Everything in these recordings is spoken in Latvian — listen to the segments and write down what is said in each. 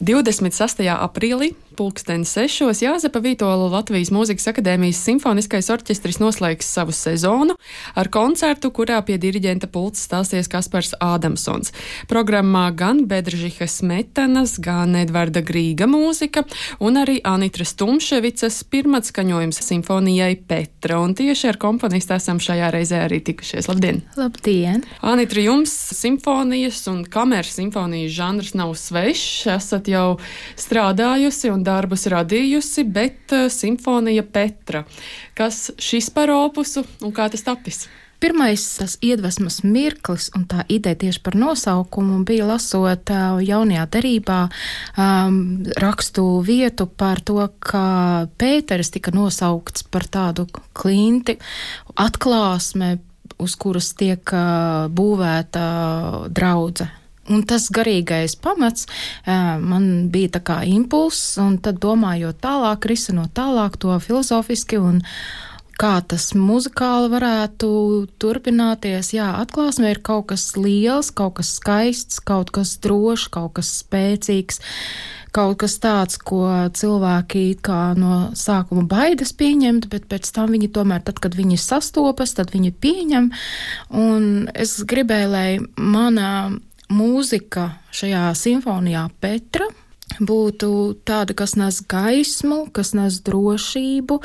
26. aprīlī, 6:00 Jāzepa Vītola Latvijas Mūzikas akadēmijas simfoniskais orķestris noslēgs savu sezonu ar koncertu, kurā pie diriģenta pults stāsies Kaspars Ādamsons. Programmā gan Bedržihas Smetanas, gan Edvarda Grīga mūzika un arī Anitras Tumševicas pirmatskaņojums simfonijai Petra. Un tieši ar komponistu esam šajā reizē arī tikušies. Labdien! Labdien! Anitra, jums simfonijas un kameras simfonijas žanrs nav svešs, esat jau strādājusi un darbus radījusi, bet simfonija Petra. Kas šis par opusu un kā tas tapis? Pirmais tas iedvesmas mirklis un tā ideja tieši par nosaukumu bija lasot jaunajā derībā rakstu vietu par to, ka Pēters tika nosaukts par tādu klinti, atklāsme, uz kuras tiek būvēta draudze. Un tas garīgais pamats man bija tā kā impulss, un tad domājot tālāk, risinot tālāk to filozofiski un kā tas muzikāli varētu turpināties. Jā, atklāsme ir kaut kas liels, kaut kas skaists, kaut kas drošs, kaut kas spēcīgs, kaut kas tāds, ko cilvēki kā no sākuma baidas pieņemt, bet pēc tam viņi tomēr, tad, kad viņi sastopas, tad viņi pieņem. Un es gribēju, lai mana mūzika šajā simfonijā Petra būtu tāda, kas nes gaismu, kas nes drošību,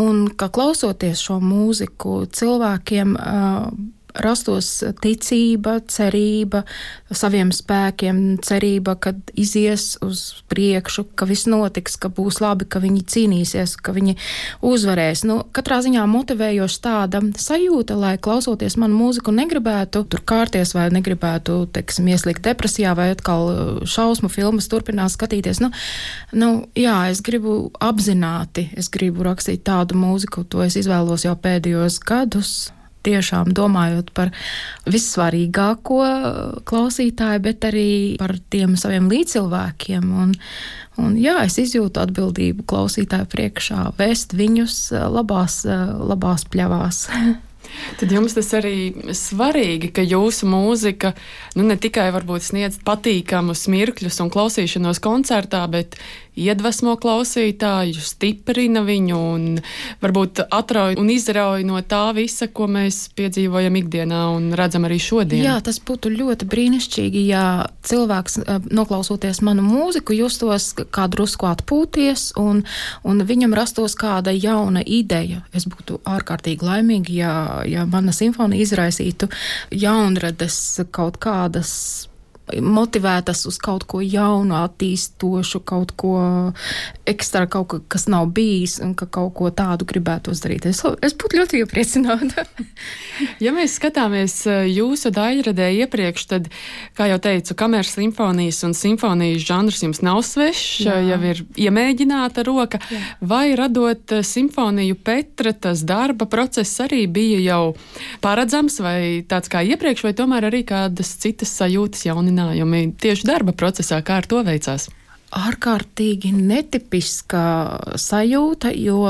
un ka klausoties šo mūziku cilvēkiem rastos ticība, cerība saviem spēkiem, cerība, kad izies uz priekšu, ka viss notiks, ka būs labi, ka viņi cīnīsies, ka viņi uzvarēs. Katrā ziņā motivējoša tāda sajūta, lai klausoties manu mūziku negribētu tur kārties vai negribētu, ieslīgt depresijā vai atkal šausmu filmas turpināt skatīties. Jā, es gribu apzināti, es gribu rakstīt tādu mūziku, to es izvēlos jau pēdējos gadus. Tiešām domājot par vissvarīgāko klausītāju, bet arī par tiem saviem līdzcilvēkiem. Un jā, es izjūtu atbildību klausītāju priekšā, vēst viņus labās pļavās. Tad jums tas arī svarīgi, ka jūsu mūzika ne tikai varbūt sniedz patīkamus mirkļus un klausīšanos koncertā, bet iedvesmo klausītāju, stiprina viņu un varbūt atrauj un izrauj no tā visa, ko mēs piedzīvojam ikdienā un redzam arī šodien. Jā, tas būtu ļoti brīnišķīgi, ja cilvēks, noklausoties manu mūziku, justos kā drusku atpūties un viņam rastos kāda jauna ideja. Es būtu ārkārtīgi laimīgi, ja mana simfonija izraisītu jaunrades kaut kādas motivētas uz kaut ko jaunu, attīstošu, kaut ko ekstra, kaut ko, kas nav bijis un ka kaut ko tādu gribētos darīt. Es būtu ļoti iepriecināta. Ja mēs skatāmies jūsu daļradē iepriekš, tad, kā jau teicu, kameras simfonijas un simfonijas žanrs jums nav svešs, jau ir iemēģināta roka. Jā. Vai radot simfoniju Petra, tas darba process arī bija jau paredzams vai tāds kā iepriekš, vai tomēr arī kādas citas sajūtas jauninājumi tieši darba procesā, kā ar to veicās? Ārkārtīgi netipiska sajūta, jo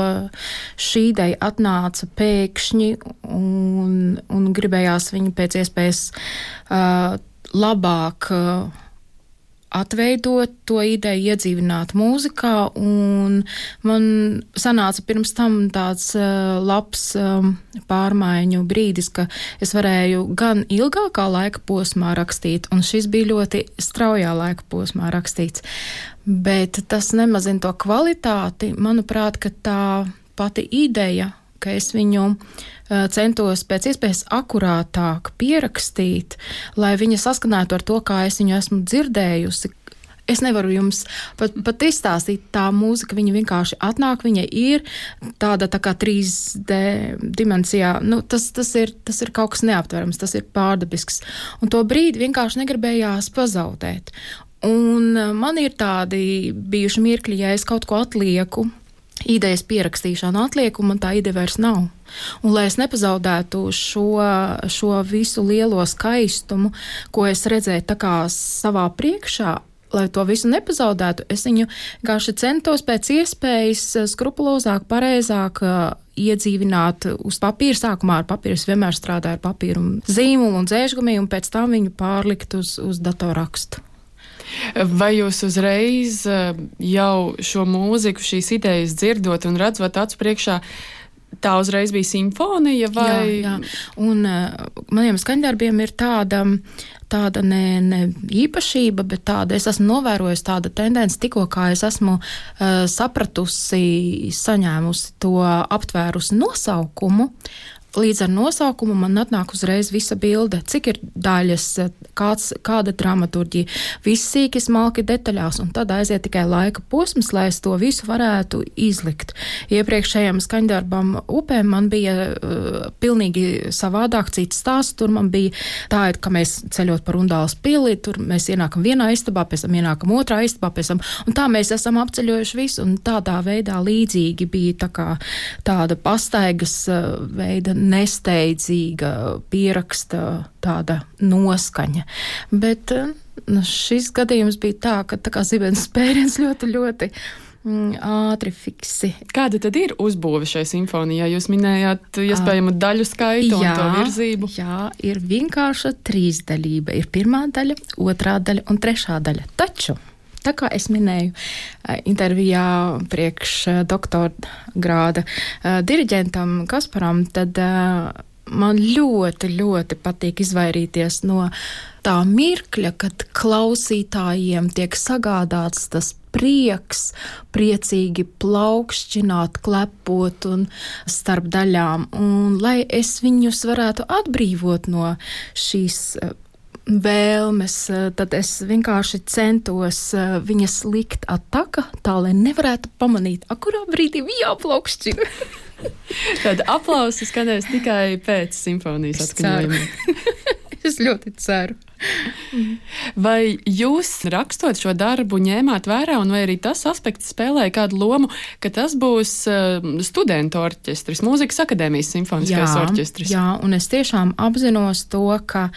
šī ideja atnāca pēkšņi un gribējās viņu pēc iespējas labāk atveidot to ideju, iedzīvināt mūzikā, un man sanāca pirms tam tāds labs pārmaiņu brīdis, ka es varēju gan ilgākā laika posmā rakstīt, un šis bija ļoti straujā laika posmā rakstīts, bet tas nemazina to kvalitāti. Manuprāt, ka tā pati ideja, ka es viņu centos pēc iespējas akurātāk pierakstīt, lai viņa saskanētu ar to, kā es viņu esmu dzirdējusi. Es nevaru jums pat izstāstīt, tā mūzika, viņa vienkārši atnāk, viņa ir tāda tā kā 3D dimensijā. Tas ir kaut kas neaptverams, tas ir pārdabisks. Un to brīdi vienkārši negribējās pazaudēt. Un man ir tādi bijuši mirkļi, ja es kaut ko atlieku, idejas pierakstīšanu atlieku, man tā ideja vairs nav. Un lai es nepazaudētu šo visu lielo skaistumu, ko es redzēju tā kā savā priekšā, lai to visu nepazaudētu, es viņu vienkārši centos pēc iespējas skrupulozāk, pareizāk iedzīvināt uz papīra. Sākumā ar papīru es vienmēr strādāju ar papīru un zīmolu un dzēžgumiju, un pēc tam viņu pārlikt uz datorrakstu. Vai jūs uzreiz jau šo mūziku, šīs idejas dzirdot un redzot acu priekšā, tā uzreiz bija simfonija? Vai... Jā. Un maniem skaņdarbiem ir tāda ne īpašība, bet tāda, es esmu novērojusi tāda tendence, tikko kā es esmu sapratusi, saņēmusi to aptvērusi nosaukumu. Līdz ar nosaukumu man atnāk uzreiz visa bilde, cik ir daļas, kāda dramaturģija, viss sīki smalki detaļās, un tad aiziet tikai laika posms, lai es to visu varētu izlikt. Iepriekšējam skaņdarbam Upēm man bija pilnīgi savādāk cits stāsts, tur man bija tā, ka mēs ceļot par Undāles pili, tur mēs ienākam vienā istabā, pēc tam ienākam otrā istabā, pēc tam, un tā mēs esam apceļojuši visu, un tādā veidā līdzīgi bija tāda pastaigas veida nesteidzīga pieraksta tāda noskaņa. Bet šis gadījums bija tā kā zibens spēriens ļoti ātri fiksi. Kāda tad ir uzbūve šai simfonijai? Jūs minējāt iespējamu daļu skaitu un to virzību. Jā, ir vienkārša trīsdaļība. Ir pirmā daļa, otrā daļa un trešā daļa. Taču tā kā es minēju intervijā priekš doktora grāda diriģentam Kasparam, tad man ļoti patīk izvairīties no tā mirkļa, kad klausītājiem tiek sagādāts tas prieks, priecīgi plaukšķināt, klepot un starp daļām. Un lai es viņus varētu atbrīvot no šīs vēlmes, tad es vienkārši centos viņas likt ataka, tā, lai nevarētu pamanīt, kurā brīdī viņa jāplaukšķina. Tad aplausi skanēs tikai pēc simfonijas atskaņojuma. Es ļoti ceru. Vai jūs rakstot šo darbu ņēmāt vērā, un vai arī tas aspekts spēlēja kādu lomu, ka tas būs studentu orķestris, Mūzikas akadēmijas simfoniskais orķestris? Jā, un es tiešām apzinos to, ka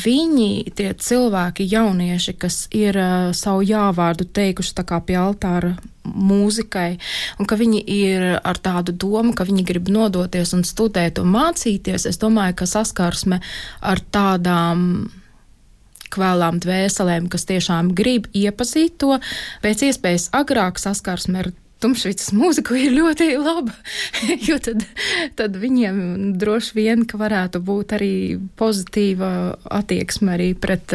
viņi, tie cilvēki, jaunieši, kas ir savu jāvārdu teikuši tā kā pie altāra mūzikai, un ka viņi ir ar tādu domu, ka viņi grib nodoties un studēt un mācīties, es domāju, ka saskarsme ar tādām kvēlām dvēselēm, kas tiešām grib iepazīt to, pēc iespējas agrāk saskarsme ar Tumšvicas mūziku ir ļoti laba, jo tad viņiem droši vien, ka varētu būt arī pozitīva attieksme arī pret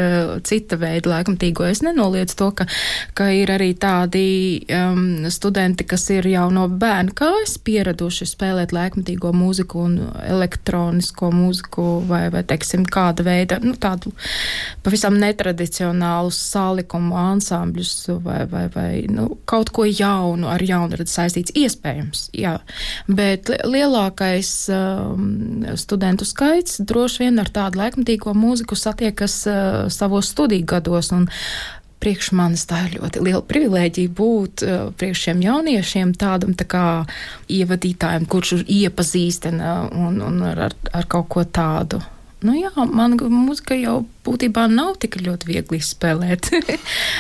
cita veida laikmatīgo. Es nenoliedzu to, ka ir arī tādi studenti, kas ir jau no bērna kājas pieraduši spēlēt laikmatīgo mūziku un elektronisko mūziku vai teiksim, kāda veida, tādu pavisam netradicionālu salikumu ansambļus vai kaut ko jaunu ar jaunradi saistīts, iespējams, jā. Bet lielākais studentu skaits droši vien ar tādu laikmatīgo mūziku satiekas savos studiju gados, un priekš manis tā ir ļoti liela privilēģija būt priekš šiem jauniešiem tādam tā kā ievadītājiem, kurš iepazīstina un ar kaut ko tādu. Jā, man mūzika jau būtībā nav tik ļoti viegli spēlēt,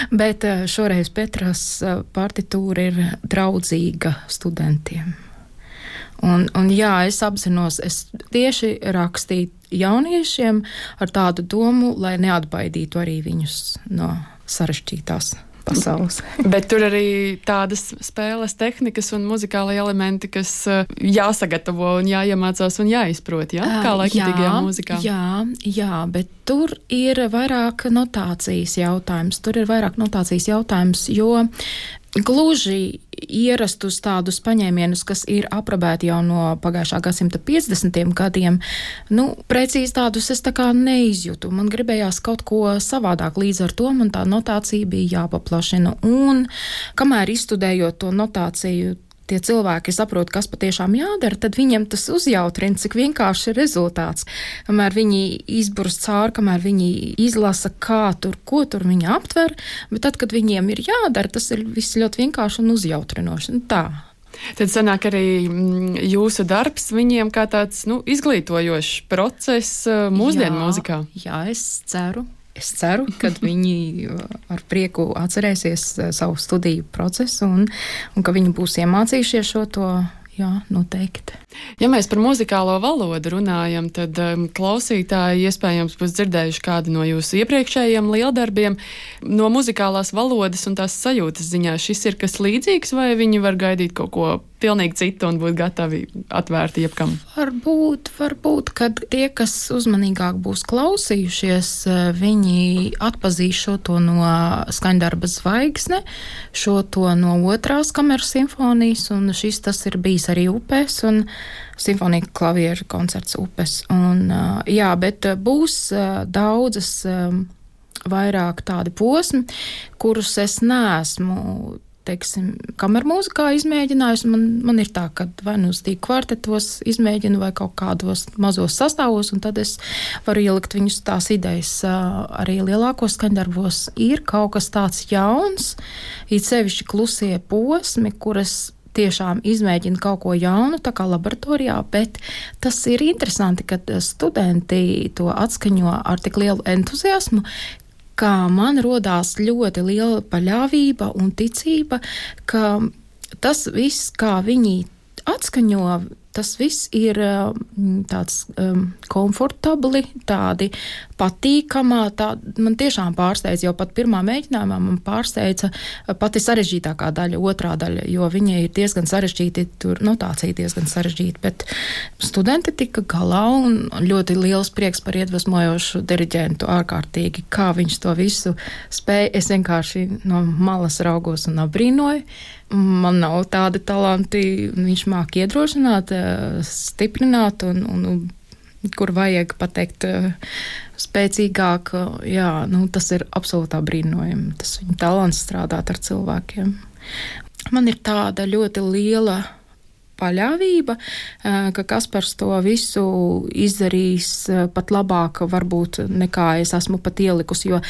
bet šoreiz Petras partitūra ir draudzīga studentiem. Un jā, es apzinos, es tieši rakstīju jauniešiem ar tādu domu, lai neatbaidītu arī viņus no sarežģītās pasaules. Bet tur arī tādas spēles tehnikas un muzikālai elementi, kas jāsagatavo un jāiemācās un jāizprot, jā? Kā laikmatīgajā mūzikā. Jā, bet tur ir vairāk notācijas jautājums, jo gluži ierastus tādus paņēmienus, kas ir aprobēti jau no pagājušā gadsimta 50. gadiem, precīzi tādus es tā kā neizjūtu. Man gribējās kaut ko savādāk, līdz ar to man tā notācija bija jāpaplašina. Un kamēr izstudējot to notāciju, tie cilvēki saprot, kas patiešām jādara, tad viņiem tas uzjautrina, cik vienkārši ir rezultāts. Kamēr viņi izburst cauri, kamēr viņi izlasa, ko tur viņi aptver, bet tad, kad viņiem ir jādara, tas ir viss ļoti vienkārši un uzjautrinoši. Tā. Tad sanāk arī jūsu darbs viņiem kā tāds izglītojošs process mūsdienu mūzikā. Jā, es ceru. Es ceru, ka viņi ar prieku atcerēsies savu studiju procesu un ka viņi būs iemācījušies šo to Jā, noteikti. Ja mēs par muzikālo valodu runājam, tad klausītāji iespējams būs dzirdējuši kādu no jūsu iepriekšējiem lieldarbiem. No muzikālās valodas un tās sajūtas ziņā šis ir kas līdzīgs, vai viņi var gaidīt kaut ko pilnīgi citu un būt gatavi atvērti jebkam? Varbūt, kad tie, kas uzmanīgāk būs klausījušies, viņi atpazīs šo to no skaņdarba Zvaigzne, šo to no otrās kameras simfonijas, un tas ir bijis arī Upēs, un simfonija klavieru koncerts Upes. Un, jā, bet būs daudzas vairāk tādi posmi, kurus es neesmu, teiksim, kamermūzikā izmēģinājusi. Man ir tā, ka vai nu uz tīk kvartetos izmēģinu vai kaut kādos mazos sastāvos, un tad es varu ielikt viņus tās idejas arī lielākos skaņdarbos. Ir kaut kas tāds jauns, it sevišķi klusie posmi, kuras tiešām izmēģina kaut ko jaunu, tā kā laboratorijā, bet tas ir interesanti, kad studenti to atskaņo ar tik lielu entuziasmu, kā man rodās ļoti liela paļāvība un ticība, ka tas viss, kā viņi atskaņo, tas viss ir tāds komfortabli, tādi patīkamā. Man tiešām pārsteidz, jau pat pirmā mēģinājumā man pārsteidza pati sarežģītākā daļa, otrā daļa, jo viņa ir diezgan sarežģīta, tur notācija diezgan sarežģīta, bet studenti tika galā un ļoti liels prieks par iedvesmojošu diriģentu ārkārtīgi, kā viņš to visu spēja. Es vienkārši no malas raugos un apbrīnoju. Man nav tādi talanti, viņš māk iedrošināt, stiprināt un kur vajag pateikt spēcīgāk. Jā, tas ir absolūtā brīnojami. Tas viņa talants strādāt ar cilvēkiem. Man ir tāda ļoti liela paļāvība, ka Kaspars to visu izdarīs pat labāk varbūt nekā es esmu pat ielikusi, jo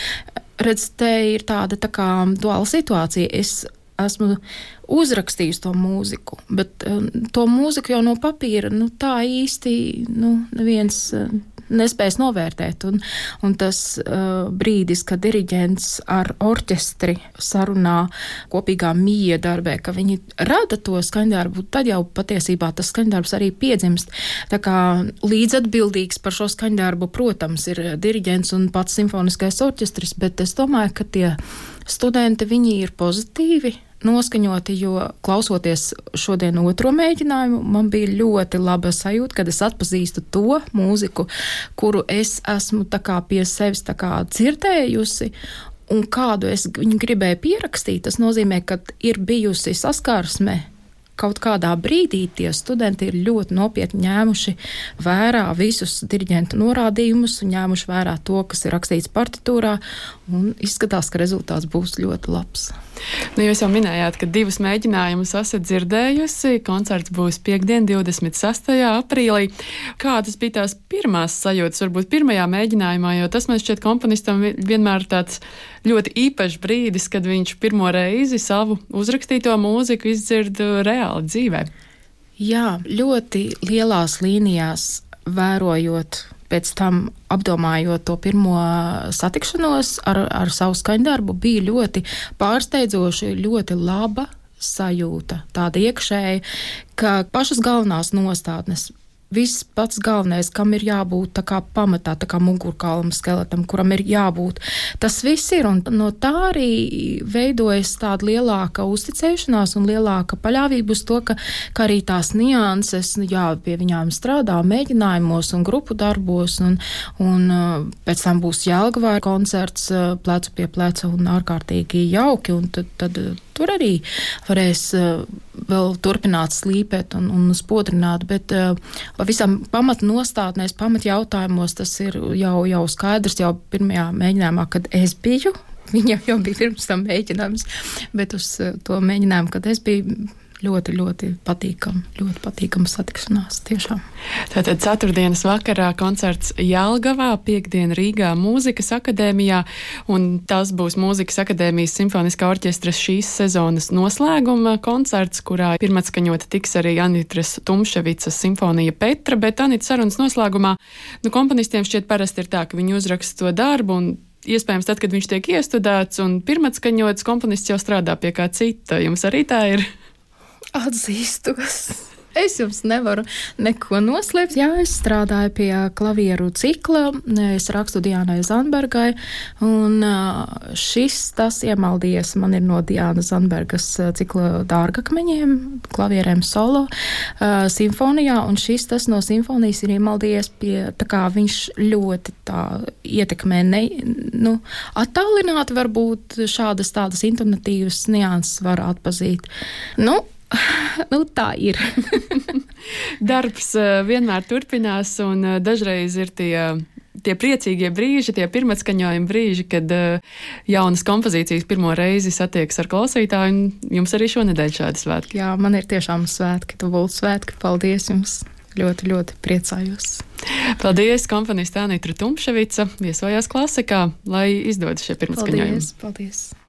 redz, te ir tāda tā kā duāla situācija. Es esmu uzrakstījusi to mūziku, bet to mūziku jau no papīra, tā īsti, neviens nespējas novērtēt. Un tas brīdis, kad diriģents ar orķestri sarunā kopīgā miedarbē, ka viņi rada to skaņdarbu, tad jau patiesībā tas skaņdarbs arī piedzimst. Tā kā līdzatbildīgs par šo skaņdarbu, protams, ir diriģents un pats simfoniskais orķestris, bet es domāju, ka tie studenti, viņi ir pozitīvi noskaņoti, jo klausoties šodien otro mēģinājumu, man bija ļoti laba sajūta, kad es atpazīstu to mūziku, kuru es esmu tā kā pie sevis tā kā dzirdējusi, un kādu es viņu gribēju pierakstīt. Tas nozīmē, ka ir bijusi saskarsme. Kaut kādā brīdī tie studenti ir ļoti nopietni ņēmuši vērā visus diriģentu norādījumus un ņēmuši vērā to, kas ir rakstīts partitūrā, un izskatās, ka rezultāts būs ļoti labs. Jūs jau minējāt, ka 2 mēģinājumus esat dzirdējusi. Koncerts būs piektdien, 26. aprīlī. Kādas bija tās pirmās sajūtas, varbūt pirmajā mēģinājumā, jo tas man šķiet komponistam vienmēr tāds ļoti īpašs brīdis, kad viņš pirmo reizi savu uzrakstīto mūziku izdzird reāli dzīvē. Jā, ļoti lielās līnijās vērojot, pēc tam apdomājot to pirmo satikšanos ar savu skaņdarbu, bija ļoti pārsteidzoši, ļoti laba sajūta, tāda iekšēja, ka pašas galvenās nostādnes, viss pats galvenais, kam ir jābūt tā kā pamatā, tā kā mugurkaulam skeletam, kuram ir jābūt. Tas viss ir, un no tā arī veidojas tāda lielāka uzticēšanās un lielāka paļāvība uz to, ka arī tās nianses, pie viņām strādā mēģinājumos un grupu darbos, un pēc tam būs Jelgavā koncerts plecu pie pleca un ārkārtīgi jauki, un tad tur arī varēs vēl turpināt slīpēt un spodrināt, bet pavisam pamatnostādnēs, pamatjautājumos tas ir jau skaidrs, jau pirmajā mēģinājumā, kad es biju, viņam jau bija pirms tam mēģinājums, bet uz to mēģinājumu, kad es biju, ļoti patīkama satikšanās, tiešām. Tātad ceturtdienas vakarā koncerts Jelgavā, piektdien Rīgā Mūzikas akadēmijā, un tas būs Mūzikas akadēmijas simfoniskā orķestra šīs sezonas noslēguma koncerts, kurā pirmatskaņota tiks arī Anitras Tumševicas simfonija Petra, bet Anita sarunas noslēgumā, komponistiem šķiet parasti ir tā, ka viņi uzraksta to darbu, un iespējams tad, kad viņš tiek iestudēts un pirmatskaņots, komponists jau strādā pie kā cita. Jums arī tā ir? Atzīstos. Es jums nevaru neko noslēpt. Jā, es strādāju pie klavieru cikla, es rakstu Diānai Zandbergai, un tas iemaldījies man ir no Diānas Zandbergas cikla Dārgakmeņiem, klavierēm solo, simfonijā, un tas no simfonijas ir iemaldījies pie, tā kā viņš ļoti tā ietekmē, attālināti varbūt šādas tādas intonatīvas nianses var atpazīt. Tā ir. Darbs vienmēr turpinās, un dažreiz ir tie priecīgie brīži, tie pirmatskaņojumi brīži, kad jaunas kompozīcijas pirmo reizi satiekas ar klausītāju, un jums arī šonedēļ šādi svētki. Jā, man ir tiešām svētki, Tuvult svētki. Paldies jums! Ļoti, ļoti priecājos. Paldies, komponiste Anitra Tumševica, viesojās Klasikā, lai izdodas šie pirmatskaņojumi. Paldies!